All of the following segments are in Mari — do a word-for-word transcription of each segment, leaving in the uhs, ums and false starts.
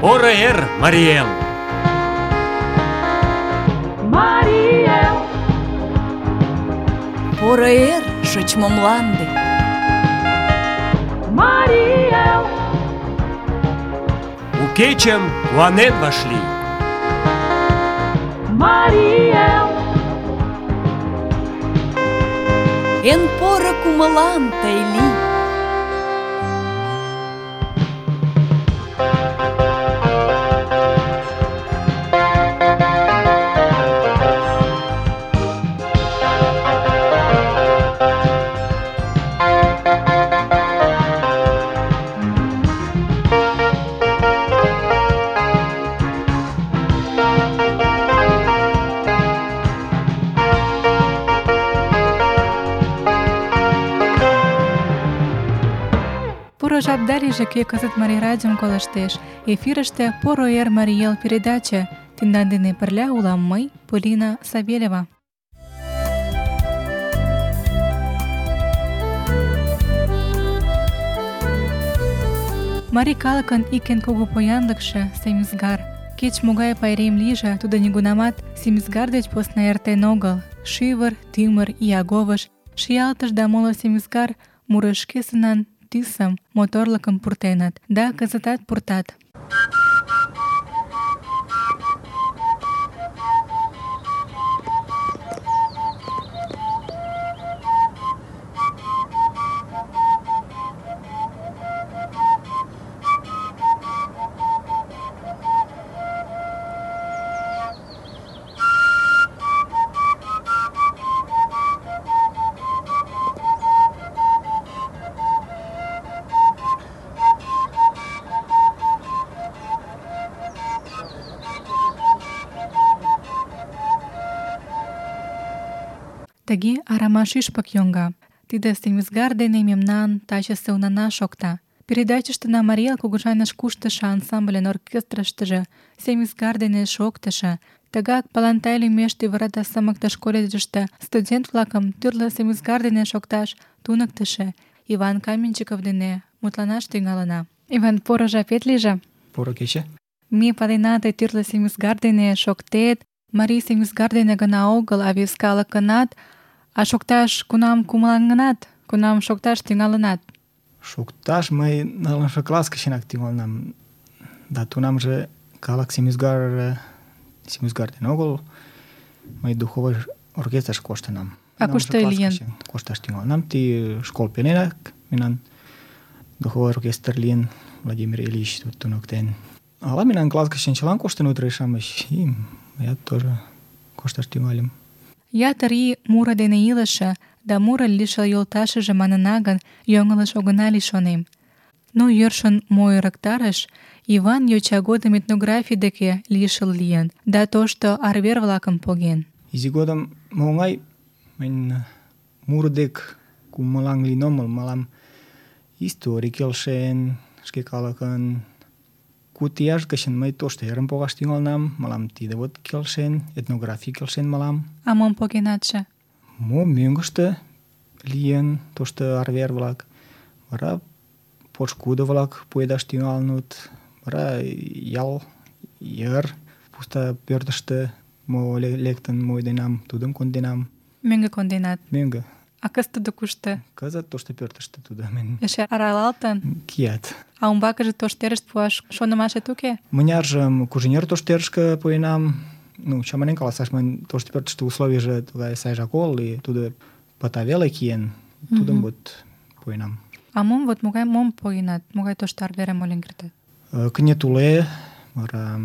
Поро эр, Мариэл! Мариэл! Поро эр, шочмо мланде! Мариэл! У кечым куанен вашлий! Мариэл! Эн поро кумылан тый лий! Поро жап далийже, кӧ кызыт Марий радиом колыштеш. Эфирыште «Поро эр, Мариэл» передача. Тендан дене пырля улам мый, Полина Савельева. Марий калыкын ик эн кугу поянлыкше — семӱзгар. Кеч-могай пайрем лийже, тудо нигунамат семӱзгар деч посна эртен огыл. Шӱвыр, тӱмыр, иyaговыш, шиялтыш да моло семӱзгар мурышкесынан тӱсым, моторлыкым пуртеныт, да кызытат пуртат. Тыге арама шӱшпык йоҥга. Тиде семӱзгар дене мемнан тачысе унана шокта. Передачыштына Мариэл кугыжаныш куштышо ансамбльын оркестрыштыже семӱзгар дене шоктышо, тыгак Палантай лӱмеш тӱвырата сымыктыш колледжыште студент-влакым тӱрлӧ семӱзгар дене шокташ туныктышо Иван Каменчиков дене мутланаш тӱҥалына. Иван, поро жапет лийже. Поро кече. Ме палена, тый тӱрлӧ семӱзгар дене шоктет, марий семӱзгар дене гына огыл, а вес калыкынат. А шокташ кунам кумылаҥынат, кунам шокташ тӱҥалынат? Шокташ мый нылымше класс гычынак тӱҥалынам. Да тунамже калык семӱзгар семӱзгар дене огыл, мый духовой оркестрыш коштынам. А кушто лийын? Кошташ тӱҥалынам. Ты школ пеленак мемнан духовой оркестр лийын, Владимир Ильич туныктен. Ала мемнан класс гычын чылан коштыныт ӱдыр-шамыч, и мыят тоже кошташ тӱҥальым. Ятыр ий муро дене илыше да муро лишыл йолташыже манына гын, йоҥылыш огына лий, шонем. Но йӧршын мо ӧрыктарыш, Иван йоча годым этнографий деке лишыл лийын да тошто арвер-влакым поген. Изи годым мо оҥай, мынь муро дек кумылаҥ лийын омыл, мылам историй келшен, шке калыкын. Куд ияш гычын мый тошто эрым погаш тӱҥалынам, мылам тиде вот келшен, этнографий келшен мылам. А мом погенатше? Мо мӧҥгыштӧ лийын тошто арвер-влак, вара пошкудо-влак пуэдаш тӱҥалыныт, вара ял йыр пуста пӧртыштӧ мо лектын муэденам, тудым конденам. Мӧҥгӧ конденат? Мӧҥгӧ. А кызыт тудо кушто? Кызыт тошто пӧртыштӧ тудо. Эше аралалтын? Кият. А умбакыже тоштерышт пуаш шонымашет уке? Мыняржым Кужинер тоштерышке пуэнам. Ну, чаманен каласаш, мынь тошто пӧртыштӧ условийже тугай сайжак огыл, и тудо пыта веле киен. Тудым вот пуэнам. А мом вот могай мом погенат? Могай тошто арверым ойлен кертат? Кыне туле, вара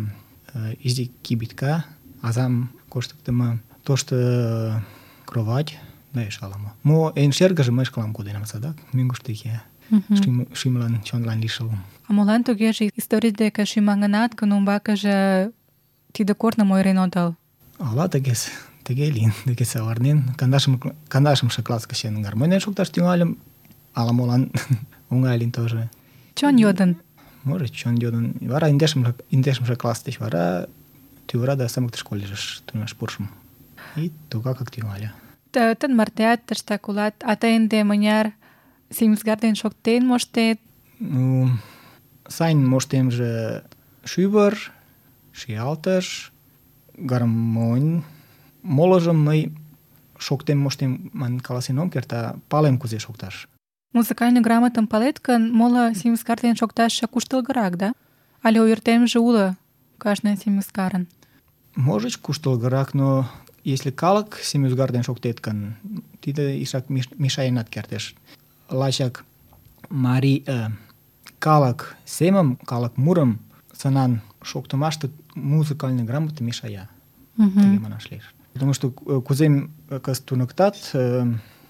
изи кибитка, азам коштыктымо, тошто кровать, да эше ала-мо. Мо эн шергыжым мый шкалан коденам садак, мӧҥгыштӧ кия. Шӱмлан, чонлан лишыл. А молан тугеже историй деке шӱмаҥынат гын, умбакыже тиде корным ойырен отыл? Ала тыгес, тыге лийын, тыге савырнен. Кандашымше класс гычын гармоньым шокташ тӱҥальым, ала-молан оҥай лийын тоже. Чон йодын? Может, чон йодын. Вара индешымше класс деч вара тӱвырада сымыктыш колледжыш тунемаш пурышым. И тугакак тӱҥале. Тын мартеат тыштак улат, а тый ынде мыняр семӱзгар дене шоктен моштет? Ну, сайын моштемже шӱвыр, шиялтыш, гармонь. Молыжым мый шоктен моштем манын каласен ом керт, а палем кузе шокташ. Музыкальный грамотым палет гын, моло семискар дене шокташше куштылгырак, да? Але ойыртемже уло кажне семискарын? Можыч, куштылгырак, но если калык семӱзгар дене шоктет гын, тиде изишак мешаенат кертеш. Лачак марий э, калык семым, калык мурым сынан шоктымаште музыкальный грамота мешая. Мгм. Тыге манаш лиеш. Потому что кузе кызыт туныктат э,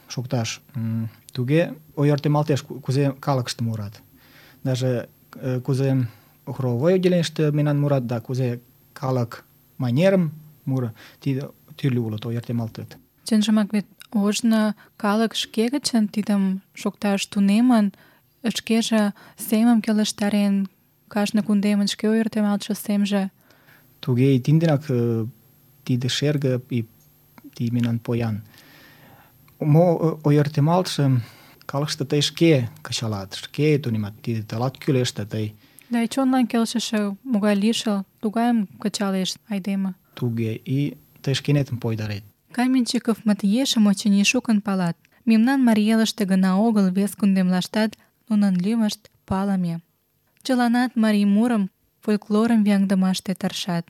шокташ, м, туге ойыртемалтеш, кузе калыкыште мурат. Даже э, кузе хоровой отделенийыште мемнан мурат, да кузе калык манерым муро, тиде тӱрлӧ улыт, ойыртемалтыт. Чынжымак вет ожно калык шке гычын тидым шокташ тунемын, шкеже семым келыштарен, кажне кундемын шке ойыртемалтше семже. Туге и тинденак э, тиде шерге и тиде мемнан поян. Мо ойыртемалтше калыкыште тый шке кычалат, шке тунемат, тиде тылат кӱлеш, да тый Да и чонлан келшыше могай лишыл, тугайым кычалеш айдеме. туге и тый шкенетым пойдарет. Каменщиковмыт ешым, очыни, шукын палат. Мемнан Марий Элыште гына огыл, вес кундемлаштат нунын лӱмышт палыме. Чыланат марий мурым, фольклорым вияҥдымаште тыршат.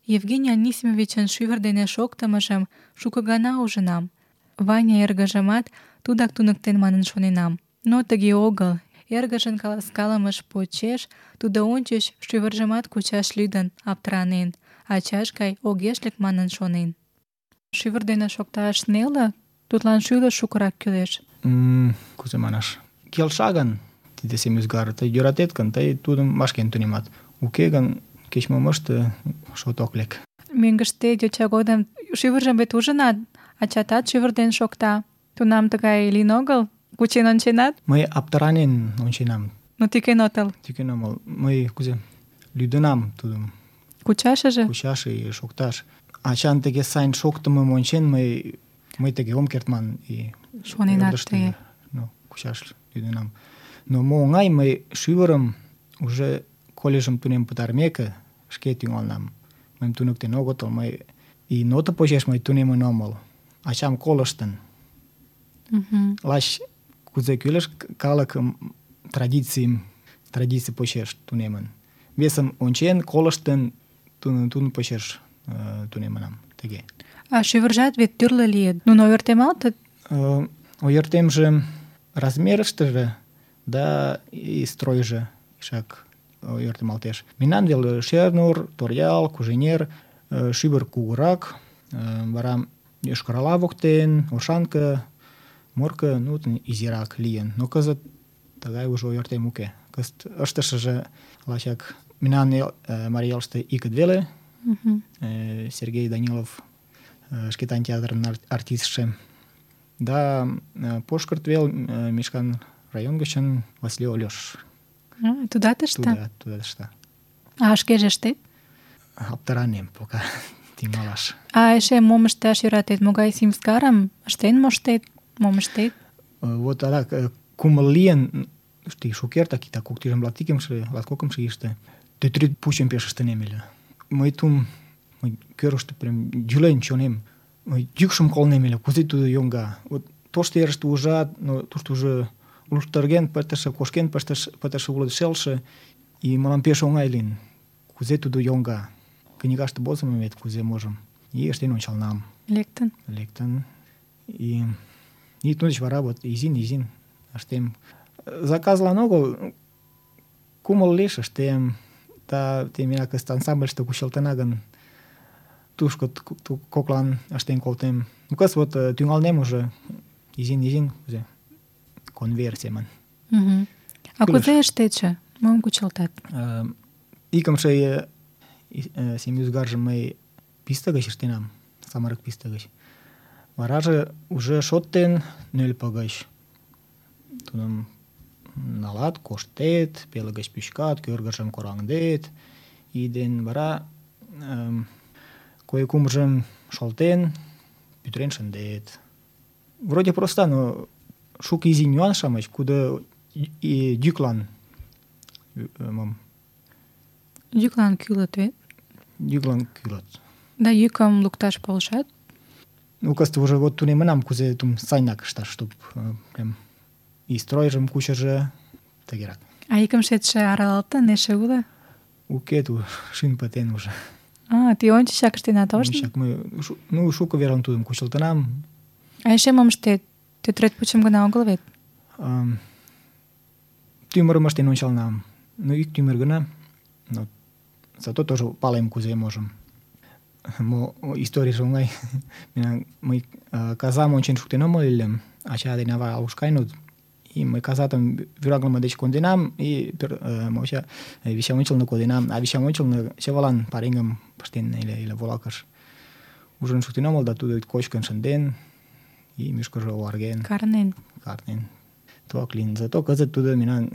Евгений Анисимовичын шӱвыр дене шоктымыжым шуко гана ужынам. Ваня эргыжымат тудак туныктен манын шоненам. Но тыге огыл. Эргыжын каласкалымыж почеш тудо ончыч шӱвыржымат кучаш лӱдын, аптыранен, ачаж гай огеш лек манын шонен. Шӱвыр дене шокташ неле, тудлан шӱлыш шукырак кӱлеш. М, кузе манаш, келша гын тиде семӱзгар, тый йӧратет гын, тый тудым вашкен тунемат. Уке гын, кеч-мом ыште, шот ок лек. Мӧҥгыштет йоча годым шӱвыржым вет ужынат, ачатат шӱвыр дене шокта. Тунам тыгай лийын огыл? Кучен онченат? Мый аптыранен онченам, Но тӱкен отыл. тӱкен омыл. Мый кузе лӱдынам тудым Кучашыже? кучаш и шокташ. Ачан тыге сайын шоктымым ончен, мый мый тыге ом керт ман и Шоненат ӧрдыжтӧ, тыге. ну, кучаш лӱдынам. Но мо оҥай, мый шӱвырым уже колледжым тунем пытарымеке шке тӱҥалынам. Мыйым туныктен огытыл, мый и нота почеш мый тунемын омыл. Ачам колыштын. Мгм. Лач кузе кӱлеш, калык традицийым, традиций почеш тунемын. Весым ончен, колыштын, тудын тудын почеш э, тунемынам. Тыге. А шӱвыржат вет тӱрлӧ лийыт. Нуно ойыртемалтыт? Э, ойыртемже размерыштыже да и стройже ишак ойыртемалтеш. Мемнан вел Шернур, Торъял, Куженер, э, шӱвыр кугурак, э, вара Йошкар-Ола воктен, Оршанка, Морко, ну, изирак лийын. Но кызыт тыгай уже ойыртем уке. Кызыт ыштышыже лачак мемнан эл, э, Марий Элыште икыт веле. Мгм. Э, Сергей Данилов, э, Шкетан театрын ар- артистше. Да э, Пошкырт вел э, Мишкан район гычын Васлий Ольош. А, тудат ышта? Туда, туда ышта. А шкеже ыштет? Аптыранем пока тӱҥалаш. А эше мом ышташ йӧратет? Могай семискарым ыштен моштет? Мом ыштет? Э, Вот адак э, кумыл лийын, тый шукертак, иктаж кок тӱжем латкикымше, латкокымшо ийыште тӱтӱрӱд пучым пеш ыштынем ыле. Мый тум мый кӧргыштӧ прям йӱлен чонем. Мый йӱкшым колнем ыле, кузе тудо йоҥга. Вот тошто ерыште ужат, но тушто уже луштырген пытыше, кошкен пыштыш- пытыше уло шелше, и мылам пеш оҥай лийын. Кузе тудо йоҥга. Книгаште возымо вет, кузе можым. И ыштен ончалнам. Лектын? Лектын. И, и тудо деч вара вот изин-изин ыштем. Заказлан огыл, кумыл лиеш ыштем. Да темена кызыт ансамбльыште кучылтына гын, тушко т- т- коклан ыштен колтем. Ну, кызыт вот э, тӱҥалнем уже изин-изин, кузе конвейер семын. Мгм. А Кӱлеш. кузе ыштетше? Мом кучылтат? Э, Икымше э, и- э, семӱзгаржым мый писте гыч ыштенам, самырык писте гыч. Вараже уже шоттен нӧлпӧ гыч. Тудым налат, коштет, пеле гыч пӱчкат, кӧргыжым кораҥдет, и ден вара эм, кое-кумжым шолтен, пӱтырен шындет. Вроде проста, но шуко изи нюанс-шамыч, кудо и- и йӱклан э, мом Йӱклан кӱлыт вет. Йӱклан кӱлыт. Да йӱкым лукташ полшат. Ну, кызыт уже вот тунемынам, кузе тум сайынак ышташ, чтоб э, прям и стройжым кучыжо тыгерак. А икымшетше аралалтын, эше уло? Уке, ту шӱм пытен уже. А, тый ончычак ыштенат тоштын? Ончычак мый шу- ну, шуко верым тудым кучылтынам. А эше мом ыштет? Тетрадь почем гына огыл вет. Ам, тӱмырым ыштен ончалынам. Ну, ик тӱмыр гына. Но зато тоже палем, кузе можым. Мо историйже оҥай. Мемнан мый э, казам ончен шуктен омыл ыле. Ача ден ава алуш каеныт. И мый казатым вӱраҥлыме деч конденам, и пӧр- э, монча э, вичам ончылно коденам. А вичам ончылно чывылан пареҥгым пыштен ыле, ыле волакыш. Ужын шуктен омыл, да тудо кочкын шынден, и мӱшкыржӧ оварген, Карнен. карнен. Тугак лийын. Зато кызыт тудо мемнан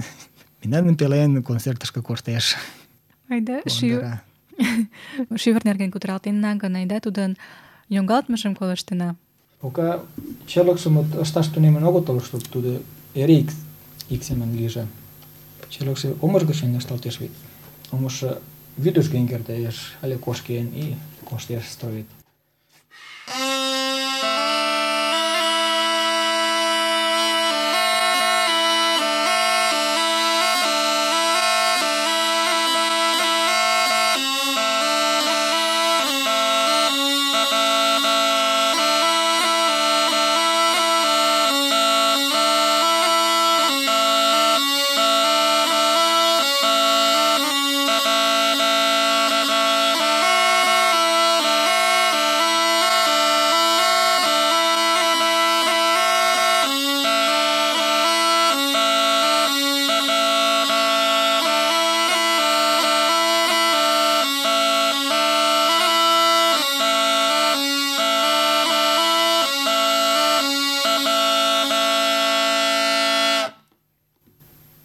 мемнан пелен концертышке коштеш. Айда, шӱ... Кондыра. шӱвыр нерген кутыралтенна гын, айда тудын йоҥгалтмыжым колыштына. Пока черлыкшым вот ышташ тунемын огытыл, чтоб тудо эре ик, ик семын лийже. Черлыкше омыж гычын ышталтеш вет. Омыжшо вӱдыжген кертеш, але кошкен, и коштеш строит.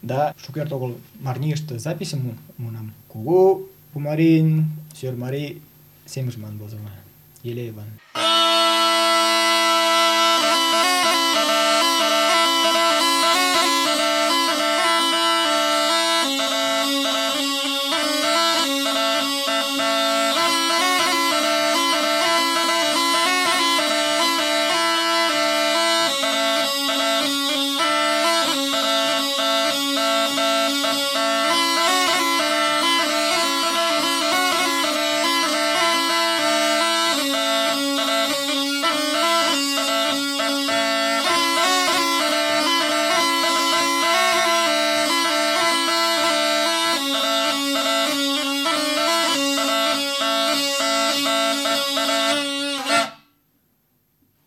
Да, шукерте огыл Марнийыште записьым му- муынам. Кугу Пумарин, Сӧрмарий семыж ман возымо. Елееван.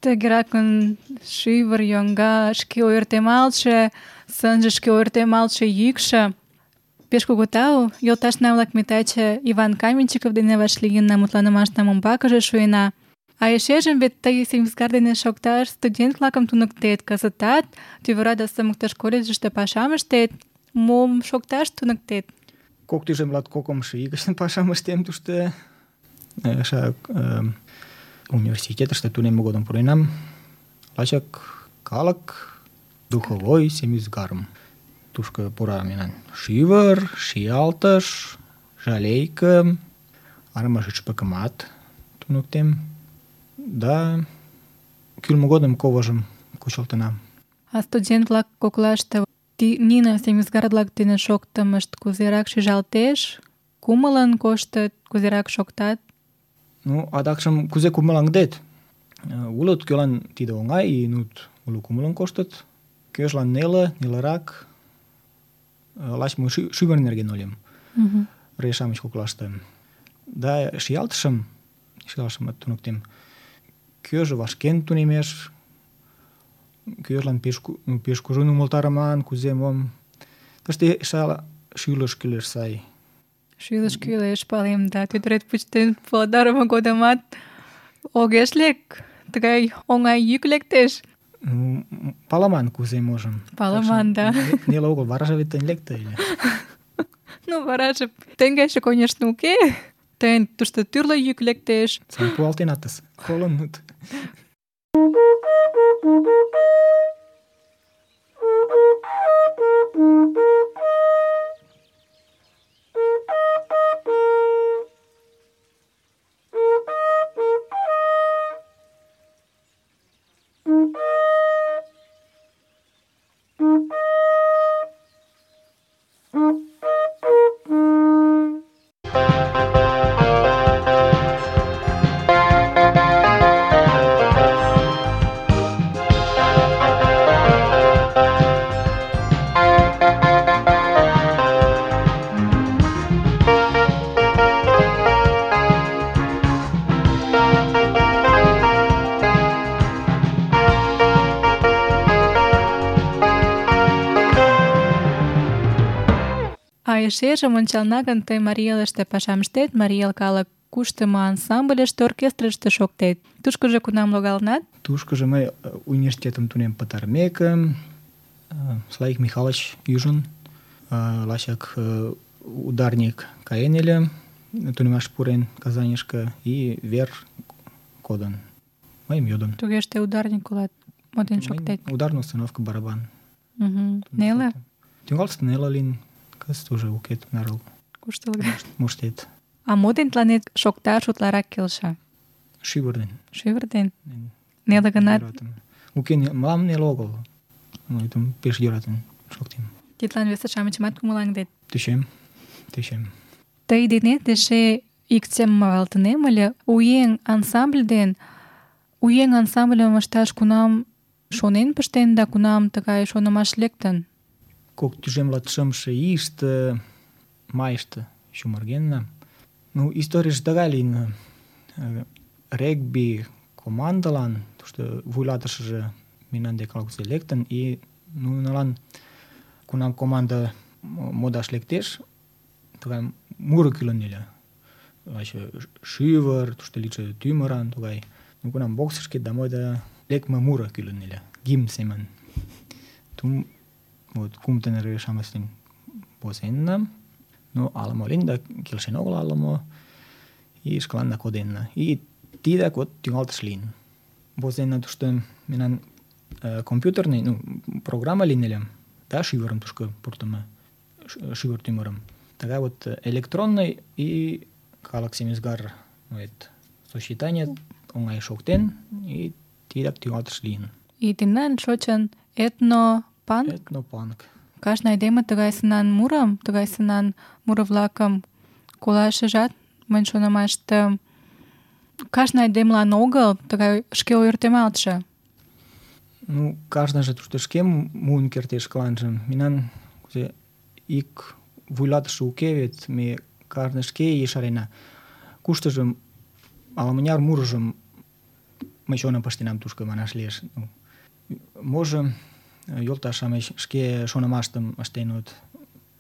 Тыгеракын шӱвыр йоҥга, шке ойыртемалтше, сынже шке ойыртемалтше йӱкшӧ. Пеш кугу тау, йолташна-влак, ме таче Иван Каменщиков дене вашлийынна, мутланымашнам умбакыже шуена. А эшежым вет тый Семизгар дене шокташ студент-влакым туныктет, кызытат тӱвыра да сымыктыш колледжыште пашам ыштет. Мом шокташ туныктет? Кок тӱжем кокымшо ий гычын пашам ыштем тушто. Эше э, университетыште тунемме годым пуренам. Лачак калык духовой Семизгарым. Тушко пура мемнан шӱвыр, шиялтыш, жалейке, арымаш ӱчпыкымат туныктем. Да кӱлмӧ годым коважым кучылтынам. А студент-влак коклаште ти- нине Семизгар-влак дене шоктымышт кузерак шижалтеш, кумылын коштыт, кузерак шоктат? Ну, адакшым кузе кумылаҥдет? Э, Улыт, кӧлан тиде оҥай, и нут уло кумылын коштыт. Кӧжлан неле, нелырак. Э, Лач мый шӱ- шӱвыр нерген ойлем. Мгм. Рей-шамыч коклаште. Да шиялтышым, шиялтышымат туныктем. Кӧжӧ вашкен тунемеш, кӧжлан пеш, ку- ну, пеш кужун умылтарыман, кузе мом. Тыште эше ала шӱлыш кӱлеш сай. Шӱлыш кӱлеш, палем, да тӱтырет пуштен пуалтарыме годымат огеш лек, тыгай оҥай йӱк лектеш. Ну, м- паламан кузе можым. Паламан, Так да. что не- Неле огыл, вараже вет тыйын лекте ыле. Ну, вараже теҥгече, конечно, уке. Тыйын тушто тӱрлӧ йӱк лектеш. Сам пуалтенатыс. Колынут. Thank you. Эшежым ончална гын, тый Марий Элыште пашам ыштет, Марий Эл калык куштымо ансамбльыште, оркестрыште шоктет. Тушкыжо кунам логалынат? Тушкыжо мый университетым тунем пытарымеке, Славик Михайлович ӱжын, лачак ударник каен ыле, тунемаш пурен Казаньышке, и вер кодын. Мыйым йодын. Тугеже тый ударник улат, мо дене шоктет? Ударный установка барабан. Угу. Неле? Тӱҥалтыште неле лийын, кызыт уже уке тунарак Куштылго. моштет. А мо дене тыланет шокташ утларак келша? Шӱвыр ден. Шӱвыр дене? Неле гынат? Йӧратым. Уке, мылам неле огыл. Мый тудым пеш йӧратен шоктем. Тидлан весе-шамычымат кумылаҥдет. Тӧчем, тӧчем. Тый денет эше ик темым мавалтынем ыле. У еҥ ансамбль ден у еҥ ансамбльым ышташ кунам шонен пыштен да кунам тыгай шонымаш лектын? Кок тӱжем латшымше ийыште, майыште чумыргенна. Ну, историйже тыгай лийын. Регби командылан, тушто вуйлатышыже мемнан дек ала-кузе лектын, и нунылан, кунам команда модаш лектеш, тыгай муро кӱлын ыле. Лаче шӱвыр, тушто лийше тӱмыран тугай. Ну, кунам боксыш кет да мойда лекме муро кӱлын ыле, гимн семын. Тум вот кум тынер-шамыч дене возенна. Ну, ала-мо лийын да келшен огыл ала-мо, и шкаланна коденна. И тидак вот тӱҥалтыш лийын. Возенна тушто мемнан компьютерный, ну, программа лийын ыле, да шӱвырым тушко пуртымо, шӱвыр тӱмырым. Тыгай вот электронный и калык семӱзгар сочетание оҥай шоктен, и тидак тӱҥалтыш лийын. И тендан шочын этно-панк? Этно-панк. Кажне айдеме тыгай сынан мурым, тыгай сынан муро-влакым колашыжат, мыйын шонымаште, кажне айдемылан огыл, тыгай шке ойыртемалтше. Ну, кажныже тушто шке муын кертеш шкаланже. Мемнан кузе ик вуйлатыше уке вет, ме кажне шке ешарена. Куштыжым, ала-мыняр мурыжым мый чоным пыштенам тушко, манаш лиеш. Ну, можо йолташ-шамыч шке шонымаштым ыштеныт.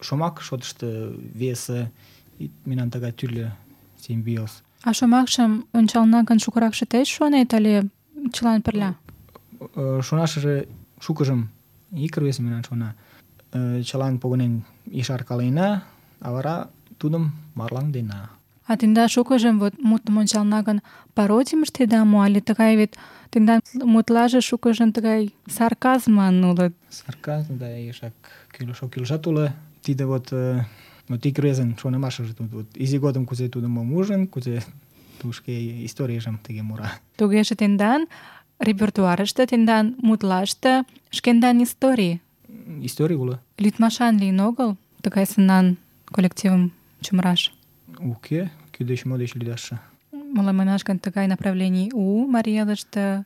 Шомак шотышто весе, и мемнан тыгай тӱрлӧ симбиоз. А шомакшым ончална гын шукыракше тый шонет але чылан пырля? Шонашыже шукыжым ик рвезе мемнан шона. Чылан погынен ешаркалена, а вара тудым марлаҥдена. А тендан шукыжым вот мутым ончална гын пародийым ыштеда мо, але тыгай вет тендан мутлаже шукыжын тыгай сарказман улыт? Сарказм, да, ешак кӱлеш-оккӱлжат уло. Тиде вот, вот ик рвезын шонымашыже тут, вот изи годым кузе тудо мом ужын, кузе тудо шке историйжым тыге мура. Тугеже тендан репертуарыште, тендан мутлаште шкендан историй? Историй уло. Лӱдмашан лийын огыл тыгай сынан коллективым чумыраш? Уке, кӧ деч мо деч лӱдашше. Молан манаш гын тыгай направлений у Марий Элыште?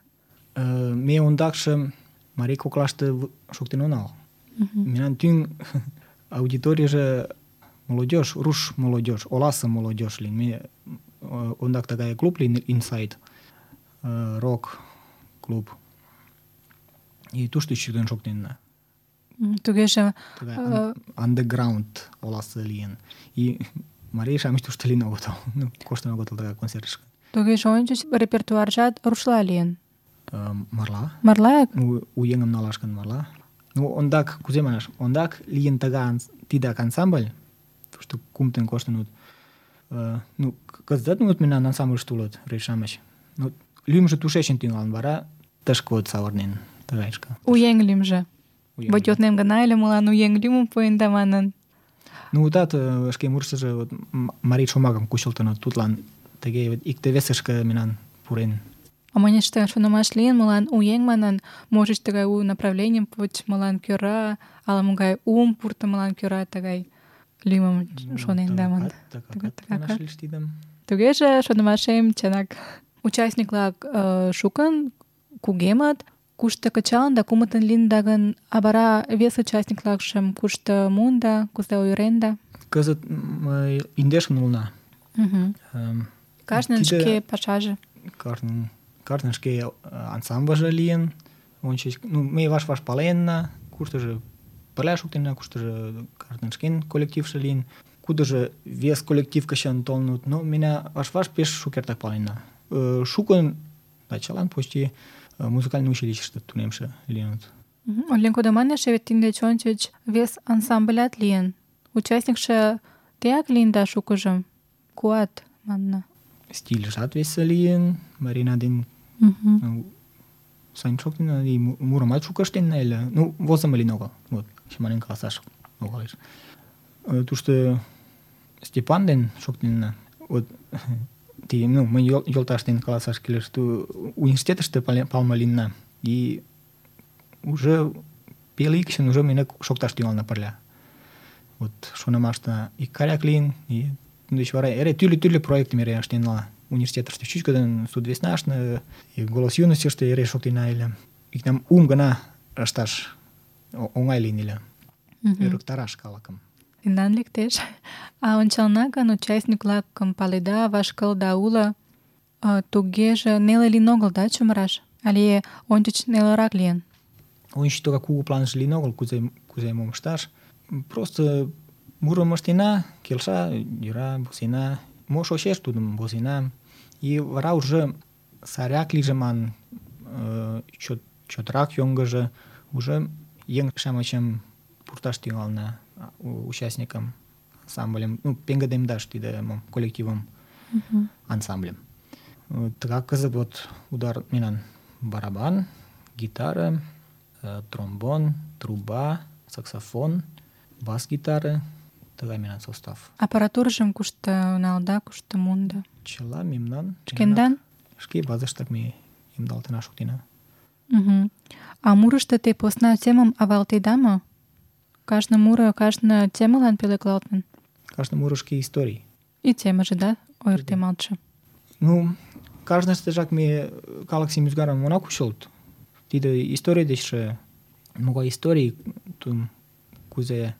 Ме ондакше марий коклаште шоктен онал. Мемнан тӱҥ аудиторийже молодежь, руш молодежь, оласе молодежь лийын. Ме ондак тыгай клуб лийын, Inside, рок клуб. И тушто чӱктен шоктенна. Тугеже андеграунд оласе лийын. И марий-шамыч тушто лийын огытыл. Ну, коштын огытыл тыгай концертышке. Тугеже ончыч репертуаржат рушла лийын? Марла. Марлаак? Ну, у еҥым налаш гын марла. Ну, ондак, кузе манаш, ондак лийын тидак ансамбль, тушто кумытын коштыныт. Ну, кызытат мут мемнан ансамбльыште улыт рвезе-шамыч. Ну, лӱмжӧ тушечын тӱҥалын, вара тышке вот савырнен тыгайышке. У еҥ лӱмжӧ. Вот йоднем гына ыле, молан у еҥ лӱмым пуэнда манын. Ну, утат шке мурыштыжо вот марий шомакым кучылтыныт, тудлан тыге икте-весышке мемнан пурен. А мынеште шонымаш лийын, молан у еҥ манын, можыч тыгай у направленийым почмылан кӧра, ала-могай уым пуртымылан кӧра тыгай лӱмым шоненда манын. Тугеже шонымашем чынак. Участник-влак шукын, кугемыт, кушто кычалын да кумытын лийында гын, а вара вес участник-влакшым кушто муында, кузе ойыренда? Кызыт индешын улына. Кажнын шке пашаже. Кажнын шке ансамбльже лийын. Ончыч, ну, ме ваш-ваш паленна, куштыжо пырля шоктена, куштыжо каждын шкен коллективше лийын, кудыжо вес коллектив гычын толыныт. Но меня ваш-ваш пеш шукертак паленна. Шукын, да, чылан почти музыкальный училищыште тунемше лийыныт. Олен кодаман эше вет тиндеч ончыч вес ансамблят лийын. Участникше теак лийын да шукыжо. Куат, манна. Стильжат весе лийын, Марина ден Сань шоктена, и мурымат шуко ыштенна ыле. Ну, возымо лийын огыл. Вот, чаманен каласаш огыл. Тушто Степан ден шоктенна. Вот, ти, ну, мый йолташ ден каласаш кӱлеш. Ту университетыште палыме лийынна. И уже пел ий гычын уже мене шокташ тӱҥална пырля. Вот шонымаште икгаяк лийын, и тудеч вара эре тӱрлӧ-тӱрлӧ проектым эре ыштенна. Университетыште чӱчкыдын, Судвеснаште, и Голос юностьыште эре шоктена ыле. Иктам ум гына ышташ оҥай лийын ыле. Ӧрыктараш калыкым. Тендан лектеш. А ончална гын, участник-влакым паледа, ваш кылда уло. Тугеже неле лийын огыл, да, чумыраш? Але ончыч нелырак лийын? Ончыч тугак кугу планже лийын огыл, кузе, кузе мом ышташ. Просто мурым ыштена, келша, йӧра, возена. Мо шочеш, тудым возена. И вара уже саряк лийже ман, чот, чотрак йоҥгыжо, уже еҥ-шамычым пурташ тӱҥална участникам, ансамбльым, ну, пеҥгыдемдаш тиде мом коллективым, ансамбльым. Тыгак кызыт вот удар мемнан барабан, гитара, тромбон, труба, саксофон, бас-гитара, тыгай мемнан состав. Аппаратурыжым кушто налда, кушто мунда? Чыла мемнан. Шкендан? Шке базыштак ме ямдылалтена шоктена. Угу. А мурышто те посна темым авалтеда мо? Кажне муро кажне темылан пӧлеклалтын? Кажне муро шке историй. И темыже, да, ойыртемалтше? Ну, кажныштыжак ме калык сем ӱзгарым она кучылт. Тиде историй дечше могай историй, тудым кузе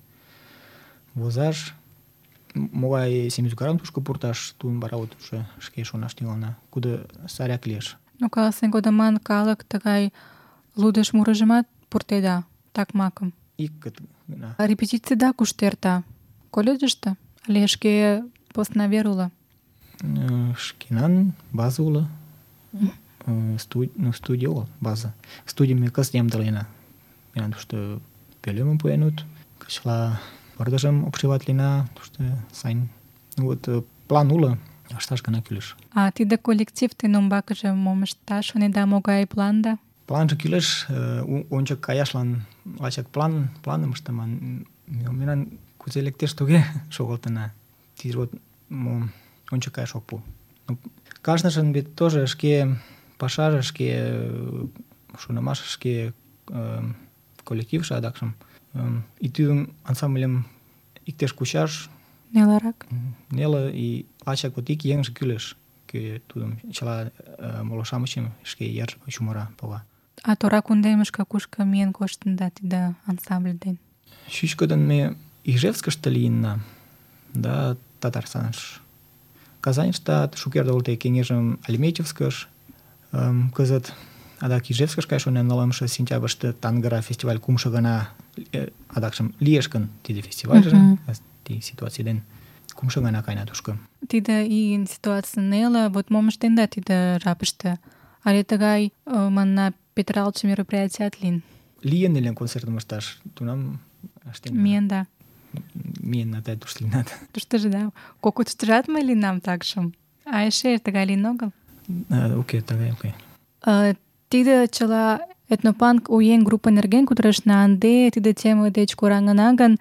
возаш, могай сем ӱзгарым тушко пурташ, тудым вара вот уже шке шонаш тӱҥална, куде саряк лиеш. Ну, каласен кодаман калык тыгай лудыш мурыжымат пуртеда, такмакым. Ик гына. А репетицийда кушто эрта? Колледжыште? Але шке посна вер уло? Шкенан база уло. Студ, ну, студия огыл, база. Студийым ме кызыт ямдылена. Мемнан тушто пӧлемым пуэнут, кычла пырдыжым обшиватлена, тушто сайын. Вот план уло, ышташ гына кӱлеш. А тиде коллектив тен умбакыже мом ышташ шонеда, могай планда? Планже кӱлеш, ончык каяшлан лачак план, планым ыштыман. Мемнан кузе лектеш, туге шогылтына. Тиде вот мом ончык каяш ок пу. Кажныжын вет тоже шке пашаже, шке шонымаш, шке коллективше адакшым. И тидым ансамбльым иктеш кучаш Нелырак? Неле, и лачак вот ик еҥже кӱлеш, кӧ тудым чыла моло-шамычым шке йыр чумыра, пога. А тора кундемышке кушко миен коштында тиде ансамбль ден? Чӱчкыдын ме Ижевскыште лийынна, да Татарстаныш. Казаньыштат шукерте огыл кеҥежым Альметьевскыш, кызыт адак Ижевскыш каяш шонен, нылымше сентябрьыште Тангыра фестиваль кумшо гана адакшым лиеш гын тиде фестивальже, тиде ситуаций ден кумшо гана каена тушко. Тиде ийын ситуаций неле, вот мом ыштенда тиде жапыште? Але тыгай, манна, петыралтше мероприятият лийын? Лийын ыле концертым ышташ, тунам ыштенна. Миенда? Миенна, да, тушто лийынат. Туштыжо, да, кокытыштыжат мый лийынам такшым. А эше тыгай лийын огыл? Уке, тыгай, уке. Тиде чыла этнопанк у еҥ группа нерген кутырышна, ынде тиде тема деч кораҥына гын,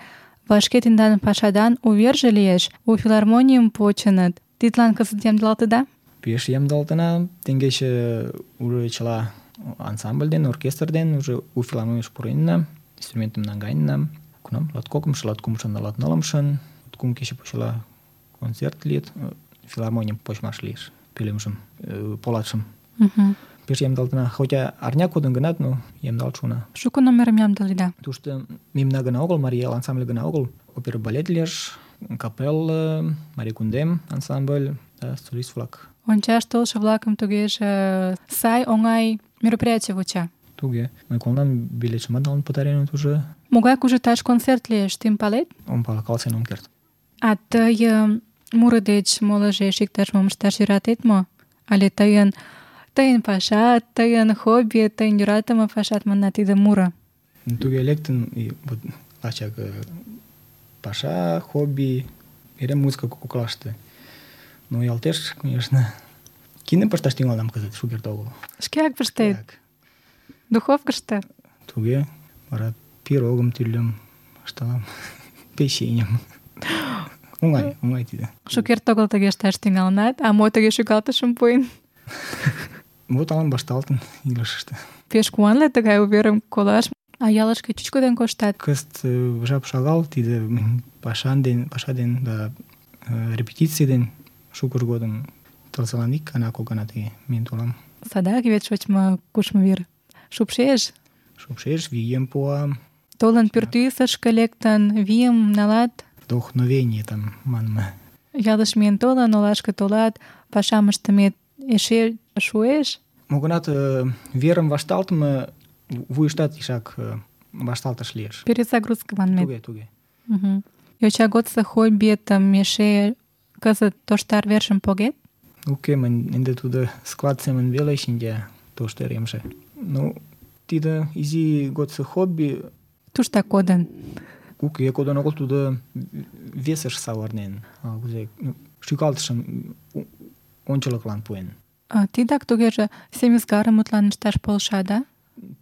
вашке тендан пашадан уверже лиеш, у филармонийым почыныт. Тидлан кызыт ямдылалтыда? Пеш ямдылалтына, теҥгече уже чыла ансамбль ден, оркестр ден уже у филармонийыш пуренна, инструментым наҥгаенна. Кунам латкокымшо, латкумшо, латнылымшын, кум кече почела концерт лийыт, филармонийым почмаш лиеш, пӧлемжым, полатшым. Пеш ямдылалтына, хотя арня кодын гынат, но ямдалт шуна. Шуко номерым ямдыледа? Тушто мемна гына огыл, Марий Эл ансамбль гына огыл, опера балет лиеш, капелла, Марий Кундем ансамбль, да, солист-влак. Ончаш толшо-влакым тугеже сай, оҥай мероприятий вуча. Туге. Мый колынам, билетшымат налын пытареныт уже. Могай кужыташ концерт лиеш, тыйым палет? Ом пале, каласен ом керт. А тый э, муро деч молыжеш иктаж-мом ышташ йӧратет мо? Але тыйын тыйын пашат, тыйын хобби, тыйын йӧратыме пашат манна тиде муро. Туге лектын, и вот лачак э, паша, хобби, эре музыка коклаште. Но ялтеш, конечно, киным пышташ тӱҥалынам кызыт, шукерте огыл. Шкеак пыштет? Шкеак. Духовкышто? Туге, вара пирогым тӱрлым ышталам, печеньым. Оҥай, оҥай тиде. Шукерте огыл тыге ышташ тӱҥалынат, а мо тыге шӱкалтышым пуэн? Вот алан вашталтын илышыште. Пеш куанле тыгай уверым колаш. А ялышке чӱчкыдын коштат? Кызыт э, жап шагал, тиде м, пашан ден, паша ден да э, репетиций ден шукыж годым тылзылан ик гана, кок гана тыге миен толам. Садак вет шочмо кушмо вер. Шупшеш? Шупшеш, вийым пуа, Толын пӱртӱсышкӧ лектын, вийым налат, вдохновение там манме. ялыш миен толын, олашке толат, пашам ыштымет эше шуэш? Мо-гынат э, верым вашталтыме вуйыштат ишак э, вашталтыш лиеш. Перезагрузка манмет. Туге, туге. Мгм. Йоча годсо хоббиетым эше кызыт тоштар вершым погет? Уке, мынь ынде тудо склад семын веле шинча тоштеремже. Ну, тиде изи годсо хобби Туштак кодын. уке кодын огыл, тудо весыш савырнен. А, кузе, ну, шӱкалтышым у- ончылыклан пуэн. А, тидак тугеже семизгарым мутланышташ полша, да?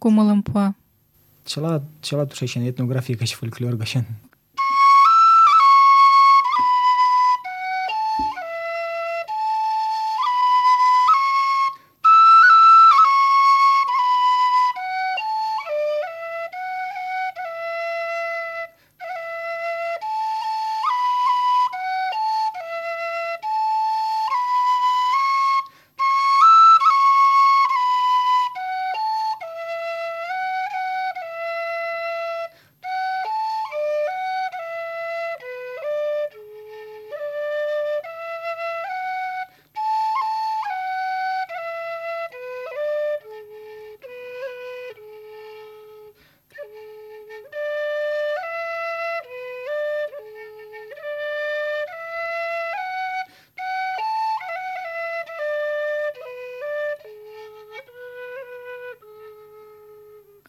Кумылым пуа. Чыла, чыла тушечын этнография гыч, фольклор гычын.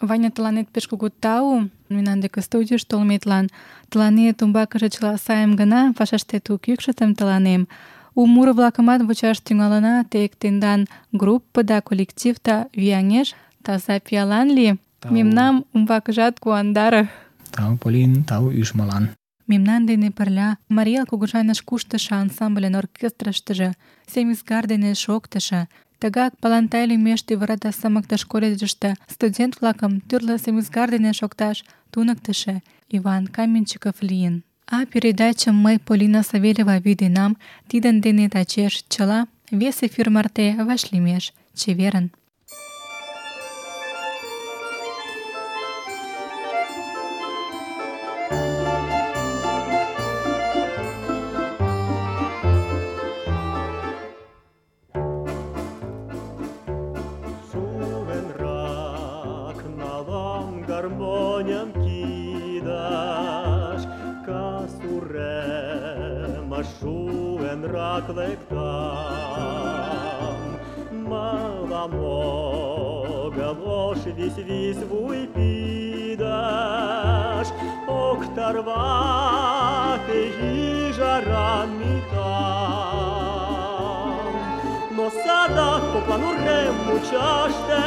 Ваня, тыланет пеш кугу тау, мемнан деке студийыш толметлан. Тыланет умбакыже чыла сайым гына, пашаштет у кӱкшытым тыланем. У муро-влакымат вучаш тӱҥалына, тек тендан группыда, коллективда вияҥеш, таза пиалан лий. Тау. Мемнам умбакыжат куандаре. Тау, Полин, тау ӱжмылан. Мемнан дене пырля Марий Эл кугыжаныш куштышо ансамбльын оркестрыштыже, Семизгар дене шоктышо, тыгак Палантай лӱмеш Тӱвырада сымыктыш колледжыште студент-влакым тӱрлӧ семизгар дене шокташ туныктышо Иван Каменщиков лийын. А передачым мый, Полина Савельева, вӱденам. Тидын дене тачеш чыла вес эфир марте вашлиймеш. Чеверын! Шуэнрак налам гармоням кидаш, касурема шуэнрак лектам. Мала могал ош вись-вись вуй пидаш, октарвак и жаран митам. Но садак по плану рем мучаште,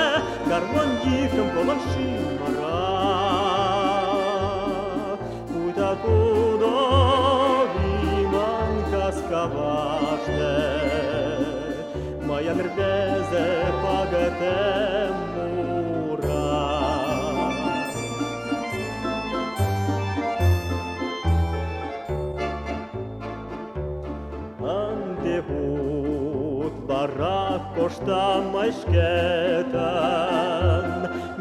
гармон йихым колон шимара. Пуйта тудо виман каскаваште, маян рвезе пагатем мура. Андевут барак коштам мый шкетын,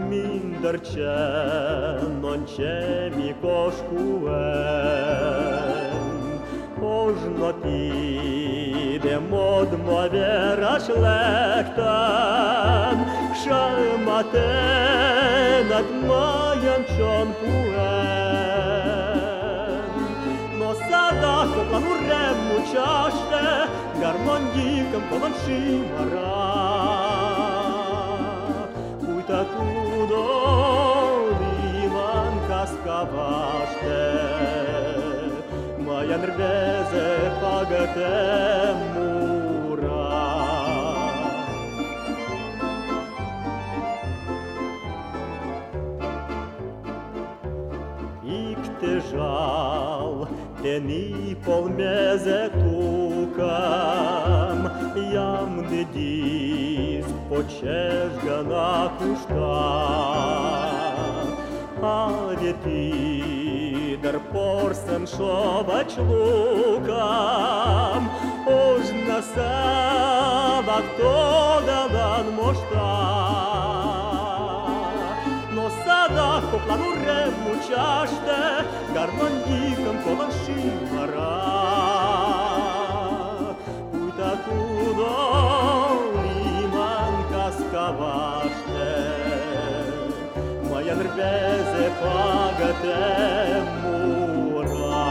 мӱндырчын ончем ик ош куэн. Ожно тиде Те модмо вераш лектын, шематенак мыйын чон пуэн. Но садак коклан урем мучаште гармонь йӱкым колын шӱмара. Пуйто тудо лийман кас каваште, мыйын рвезе пагытем мура. Икте жал, тений полмезе тукам, ямде диск почеш гана кушта. А ветидер порсен шовач лукам, ож на сабак тодаван мошта. Но садак коклан урем мучаште гармонь йӱкым колын шӱмара. Пуйто тудо лийман кас каваште, мыйын рвезе пагытем мура.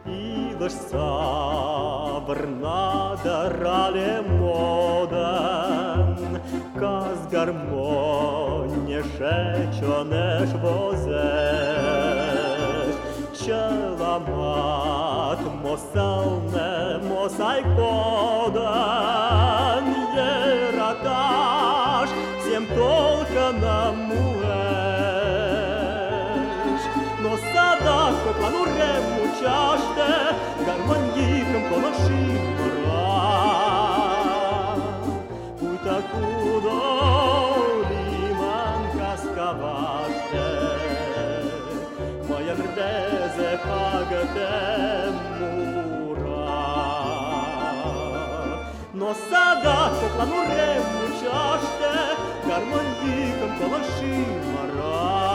Илыш савырна да рале модын, кас гармоньеше чонеш возеш. Чыламат мо сылне, мо сай кодын, йӧраташ сем толкынам муэш. Но садак коклан урем мучаште гармонь йӱкым колын шӱмара. Пуйто тудо лийман кас каваште, мыйын рвезе пагытем мура. Но садак коклан урем мучаште гармонь йӱкым колын шӱмара.